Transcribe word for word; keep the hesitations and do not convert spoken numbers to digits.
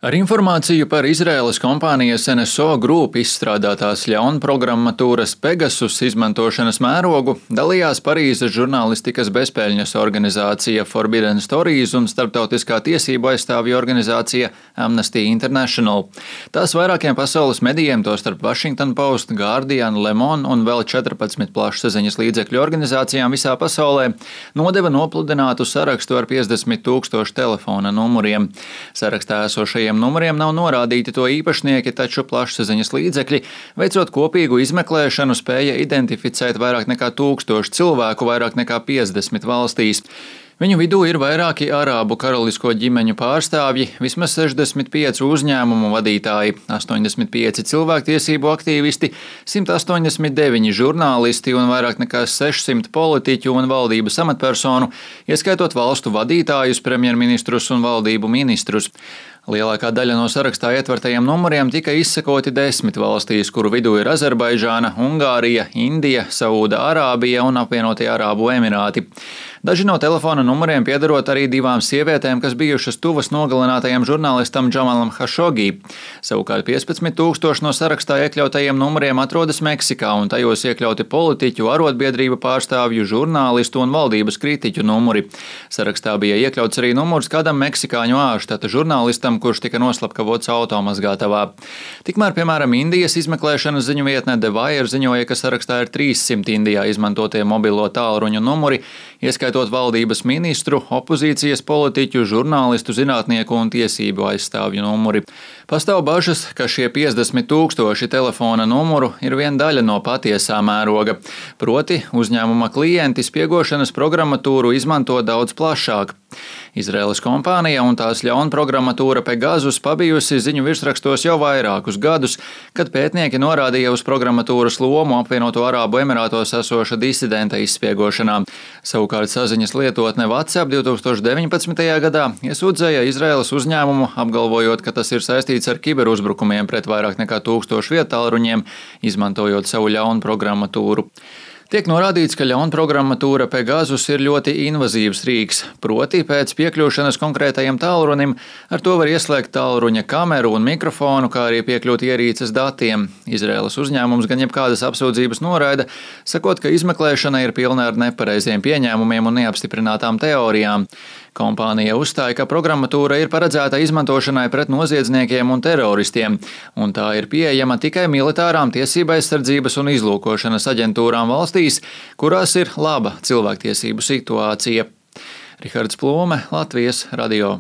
Ar informāciju par Izraēlas kompānijas N S O Group izstrādātās ļaunprogrammatūras Pegasus izmantošanas mērogu dalījās Parīzes žurnālistikas bezpēļņas organizācija Forbidden Stories un starptautiskā tiesību aizstāvju organizācija Amnesty International. Tās vairākiem pasaules medijiem, tostarp Washington Post, Guardian, Le Monde un vēl četrpadsmit plašsaziņas līdzekļu organizācijām visā pasaulē, nodeva nopludinātu sarakstu ar piecdesmit tūkstošu telefona numuriem. Sarakstā esošajiem numuriem nav norādīti to īpašnieki, taču plašsaziņas līdzekļi, veicot kopīgu izmeklēšanu, spēja identificēt vairāk nekā tūkstošu cilvēku vairāk nekā piecdesmit valstīs. Viņu vidū ir vairāki arābu karalisko ģimeņu pārstāvji, vismaz sešdesmit pieci uzņēmumu vadītāji, astoņdesmit pieci cilvēktiesību aktīvisti, simt astoņdesmit deviņi žurnālisti un vairāk nekā sešsimt politiķu un valdības amatpersonu, ieskaitot valstu vadītājus, premjerministrus un valdību ministrus. Lielākā daļa no sarakstā ietvertajiem numuriem tika izsekoti desmit valstīs, kuru vidū ir Azerbaidžāna, Ungārija, Indija, Saūda Arābija un apvienotie Arābu Emirāti. Daži no telefona numuriem piederot arī divām sievietēm, kas bijušas tuvas nogalinātajam žurnālistam Džamalam Hašogī. Savukārt piecpadsmit tūkstoši no sarakstā iekļautajiem numuriem atrodas Meksikā, un tajos iekļauti politiķu, arotbiedrību pārstāvju, žurnālistu un valdības kritiķu numuri. Sarakstā bija iekļauts arī numurs kādam meksikāņu ārštata žurnālistam, kurš tika noslapkavots automazgātavā. Tikmēr, piemēram, Indijas izmeklēšanas ziņu vietne The Wire ziņoja, ka sarakstā ir trīssimt Indijā izmantotie mobilo tālruņu numuri, ieskaitot valdības ministru, opozīcijas politiķu, žurnālistu, zinātnieku un tiesību aizstāvju numuri. Pastāv bažas, ka šie piecdesmit tūkstoši telefona numuru ir viena daļa no patiesā mēroga. Proti, uzņēmuma klienti spiegošanas programmatūru izmanto daudz plašāk. Izraēlas kompānija un tās ļaunprogrammatūra Pegasus pabijusi ziņu virsrakstos jau vairākus gadus, kad pētnieki norādīja uz programmatūras lomu apvienoto Arābu Emirātos esoša disidenta izspiegošanā. Savukārt saziņas lietotne WhatsApp divtūkstoš deviņpadsmitajā gadā iesūdzēja Izraēlas uzņēmumu, apgalvojot, ka tas ir saistīts ar kiberuzbrukumiem pret vairāk nekā tūkstošu viedtālruņiem, izmantojot savu ļaunprogrammatūru. Tiek norādīts, ka ļaunprogrammatūra Pegasus ir ļoti invazīvs rīks, proti pēc piekļūšanas konkrētajam tālrunim ar to var ieslēgt tālruņa kameru un mikrofonu, kā arī piekļūt ierīces datiem. Izraēlas uzņēmums gan jebkādas apsūdzības noraida, sakot, ka izmeklēšana ir pilna ar nepareiziem pieņēmumiem un neapstiprinātām teorijām. Kompānija uzstāja, ka programmatūra ir paredzēta izmantošanai pret noziedzniekiem un teroristiem, un tā ir pieejama tikai militārām tiesībaizsardzības un izlūkošanas aģentūrām valstīs, kurās ir laba cilvēktiesību situācija. Rihards Plūme, Latvijas radio.